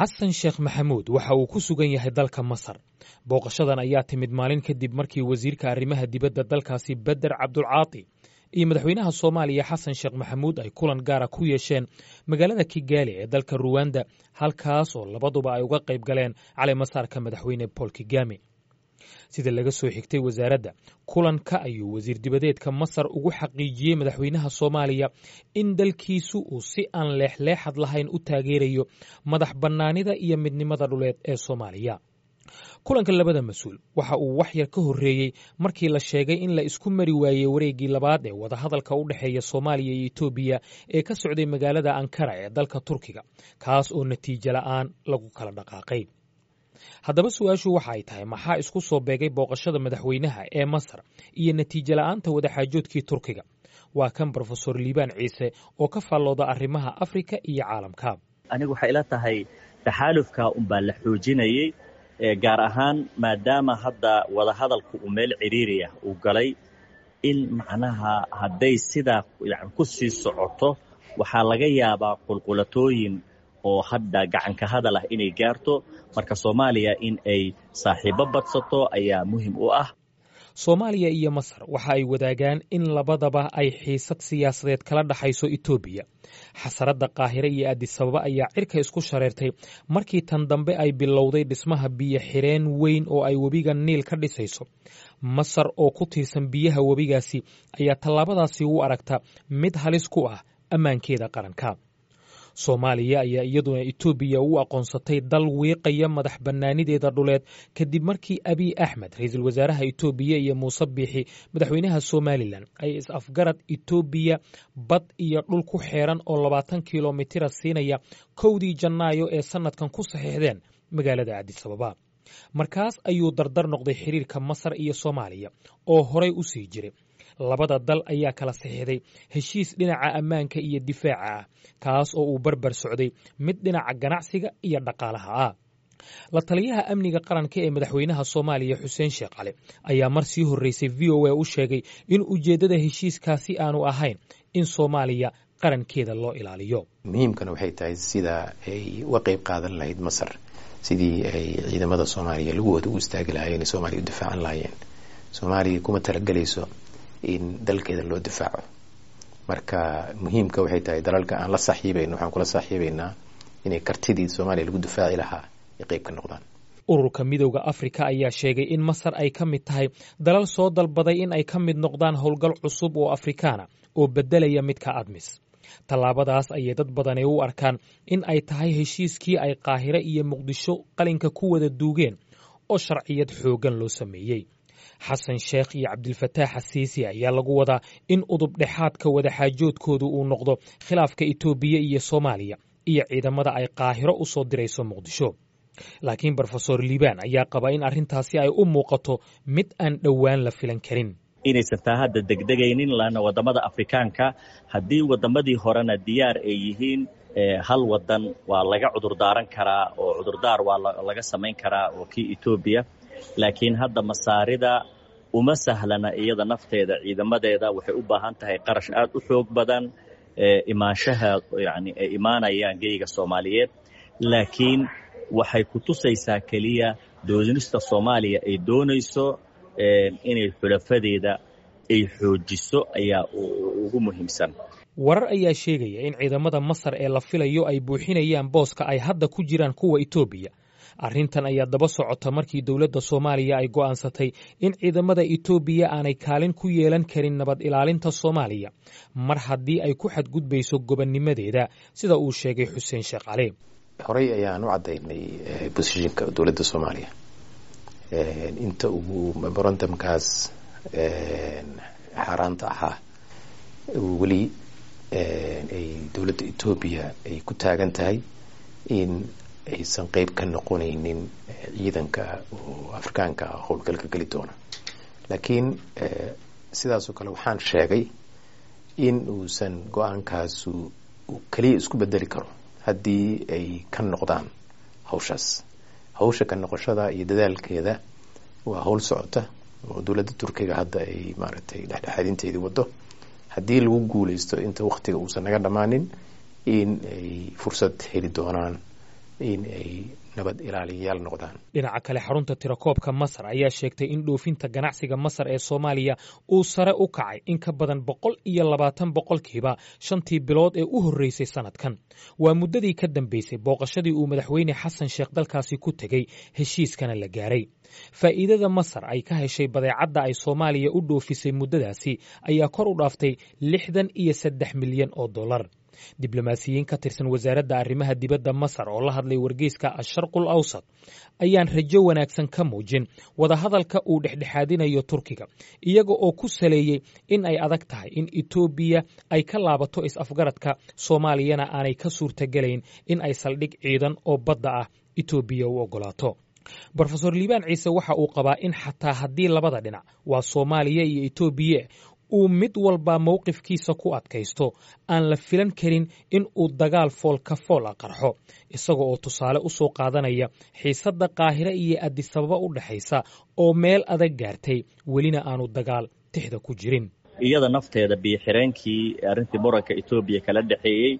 Xasan Sheekh Maxamuud waxa uu ku sugan yahay dalka Masar. Booqashadan ayaa timid maalin kadib markii wasiirka arrimaha dibadda dalkaasi Beder Cabdulcaati iyo madaxweynaha Soomaaliya Xasan Sheekh Maxamuud ay kulan gaara ku yeesheen magaalada Kigaali ee dalka Ruwanda, halkaas oo labaduba ay uga qayb galeen caleemasaarka madaxweyne Paul Kigame. Sida laga soo xigtay wasaaradda, kulanka ayuu wasiir dibadeedka Masar ugu xaqiijiyey madaxweynaha Soomaaliya in dalkiisu uu si aan leexleexad lahayn u taageerayo madax bannaanida iyo midnimada dhuleed ee Soomaaliya. Kulanka labada mas-uul waxa uu wax yar ka horreeyey markii la sheegay in la isku mari waayey wareeggii labaad ee wadahadalka u dhexeeya Soomaaliya iyo Etoobiya ee ka socday magaalada Ankara ee dalka Turkiga, kaas oo natiijo la'aan lagu kala dhaqaaqay. Haddaba su-aashu waxa ay tahay, maxaa isku soo beegay booqashada madaxweynaha ee Masar iyo natiijo la'aanta wadaxaajoodkii Turkiga? Waa kan Brofesor Liibaan Ciise oo ka faallooda arrimaha Afrika iyo caalamka. Anigu waxay ila tahay taxaalufka unbaa la xoojinayey, gaar ahaan maadaama hadda wadahadalku uu meel cidhiiri ah uu galay, in macnaha hadday sidaa yani ku sii socoto waxaa laga yaabaa qulqulatooyin oo hadda gacanka hadal ah inay gaarto. Marka Soomaaliya in ay saaxiibo badsato ayaa muhim u ah. Soomaaliya iyo Masar waxa ay wadaagaan in labadaba ay xiisad siyaasadeed kala dhaxayso Etoobiya. Xasaradda Qaahire iyo Addisababa ayaa cirka isku shareertay markii tan dambe ay bilowday dhismaha biyo xireen weyn oo ay webiga Niil ka dhisayso. Masar oo ku tiirsan biyaha webigaasi ayaa tallaabadaasi u aragta mid halis ku ah ammaankeeda qaranka. Soomaaliya ayaa iyaduna Etoobiya u aqoonsatay dal wiiqaya madax bannaanideeda dhuleed kadib markii Abiy Axmed, ra-iisul wasaaraha Etoobiya, iyo Muuse Biixi, madaxweynaha Somalilan, ay is-afgarad Etoobiya bad iyo dhul ku xeeran oo 20 kilomitira siinaya 1dii Janaayo ee sannadkan ku saxiixdeen magaalada Addisababa. Markaas ayuu dardar noqday xiriirka Masar iyo Soomaaliya oo horay u sii jiray. Labada dal ayaa kala saxiixday heshiis dhinaca ammaanka iyo difaaca ah, kaas oo uu barbar socday mid dhinaca ganacsiga iyo dhaqaalaha ah. La taliyaha amniga qaranka ee madaxweynaha Soomaaliya Xuseen Sheekh Cali ayaa mar sii horreysay VOA u sheegay in ujeeddada heshiiskaasi aanu ahayn in Soomaaliya qarankeeda loo ilaaliyo. Muhiimkana waxay tahay sida ay uga qayb qaadan lahayd Masar sidii ay ciidamada Soomaaliya lugahooda u istaagi lahaayeen, Soomaaliya u difaacan lahaayeen. Soomaaliya kuma talagelayso in dalkeeda loo difaaco. Marka muhiimka waxay tahay dalalka aan la saaxiibayno waxaan kula saaxiibaynaa inay kartidii Soomaaliya lagu difaaci lahaa ay qayb ka noqdaan. Ururka Midowda Afrika ayaa sheegay in Masar ay ka mid tahay dalal soo dalbaday in ay ka mid noqdaan howlgal cusub oo Afrikaana oo beddelaya midka ADMIS. Tallaabadaas ayay dad badani u arkaan in ay tahay heshiiskii ay Qaahire iyo Muqdisho qalinka ku wada duugeen oo sharciyad xooggan loo sameeyey. Xasan Sheekh iyo Cabdilfataax Xasiisi ayaa lagu wadaa in udub dhexaadka wadaxaajoodkoodu uu noqdo khilaafka Etoobiya iyo Soomaaliya iyo ciidamada ay Qaahiro u soo dirayso Muqdisho. Laakiin Brofesor Liibaan ayaa qaba in arrintaasi ay u muuqato mid aan dhowaan la filan karin. Inaysan taa hadda degdegaynin, laanna waddamada Afrikaanka haddii waddamadii horena diyaar ay yihiin, hal wadan waa laga cudurdaaran karaa oo cudurdaar waa laga samayn karaa oo kii Etoobiya. Laakiin hadda Masaarida uma sahlana iyada nafteeda, ciidamadeeda waxay u baahan tahay qarash aad u xoog badan imaanshaha yani ay imaanayaan geyga Soomaaliyeed. Laakiin waxay ku tusaysaa keliya doonista Soomaaliya ay doonayso inay xulafadeeda ay xoojiso ayaa ugu muhiimsan. Warar ayaa sheegaya in ciidamada Masar ee la filayo ay buuxinayaan booska ay hadda ku jiraan kuwa Etoobiya. Arrintan ayaa daba socota markii dowladda Soomaaliya ay go'aansatay in ciidamada Etoobiya aanay kaalin ku yeelan karin nabad ilaalinta Soomaaliya mar haddii ay ku xadgudbayso gobonnimadeeda, sida uu sheegay Xuseen Sheekh Cali. Horey ayaan u caddaynay positionka dowladda Soomaaliya inta uu memorandumkaas xaaraanta ahaa weli ay dowladda Etoobiya ay ku taagan tahay in aysan qeyb ka noqonaynin ciidanka oo Afrikaanka ah howlgalka geli doona. Laakiin sidaasoo kale waxaan sheegay in uusan go-aankaasu keliya isku bedeli karo haddii ay ka noqdaan hawshaas. Hawsha ka noqoshada iyo dadaalkeeda waa hawl socota oo dowladda Turkiga hadda ay maaragtay dhexdhexaadinteedii wado. Haddii lagu guuleysto inta waktiga uusan naga dhammaanin, in ay fursad heli doonaan. In ay nabad ilaaliyayaal noqdaan. Dhinaca kale, xarunta tirakoobka Masar ayaa sheegtay in dhoofinta ganacsiga Masar ee Soomaaliya uu sare u kacay in ka badan 120% 5tii bilood ee u horreysay sanadkan. Waa muddadii ka dambeysay booqashadii uu Madaxweyne Xasan Sheekh dalkaasi ku tegey, heshiiskana la gaaray. Faa'iidada Masar ay ka heshay badeecadda ay Soomaaliya u dhoofisay muddadaasi ayaa kor u dhaaftay 63 milyan oo dollar. Diblomaasiyiin ka tirsan Wasaaradda Arrimaha Dibadda Masar oo la hadlay wargeyska Asharqul Awsat ayaan rajo wanaagsan ka muujin wadahadalka uu dhexdhexaadinayo Turkiga, iyaga oo ku saleeyey in ay adag tahay in Etoobiya ay ka laabato is-afgaradka, Soomaaliyana aanay ka suurtagelayn in ay saldhig ciidan oo badda ah Etoobiya u oggolaato. Brofesor Liibaan Ciise waxa uu qabaa in xataa haddii labada dhinac, waa Soomaaliya iyo Etoobiya, uu mid walba mowqifkiisa ku adkaysto, aan la filan karin in uu dagaal fool ka fool a qarxo, isaga oo tusaale u soo qaadanaya xiisadda Qaahire iyo Adisababa u dhexaysa oo meel adag gaartay, welina aanu dagaal tixda ku jirin. Iyada nafteeda biyo-xireenkii, arrintii muranka Etoobiya kala dhexeeyey,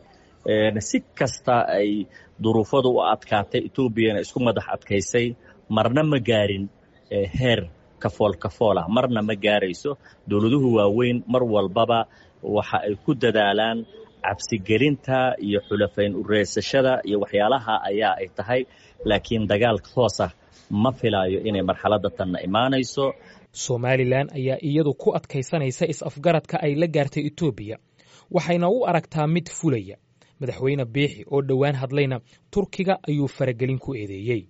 si kasta ay duruufadu u adkaatay, Etoobiyana isku madax adkaysay, marna ma gaarin heer kafool kafoolah, marna ma gaarayso. Dowladuhu waaweyn mar walbaba waxa ay ku dadaalaan cabsigelinta iyo xulafayn ureysashada iyo waxyaalaha ayaa ay tahay, laakiin dagaal toosah ma filaayo inay marxaladda tanna imaanayso. Somalilan ayaa iyadu ku adkaysanaysa is-afgaradka ay la gaartay Etoobiya, waxayna u aragtaa mid fulaya. Madaxweyne Biixi oo dhowaan hadlayna Turkiga ayuu faragelin ku eedeeyey.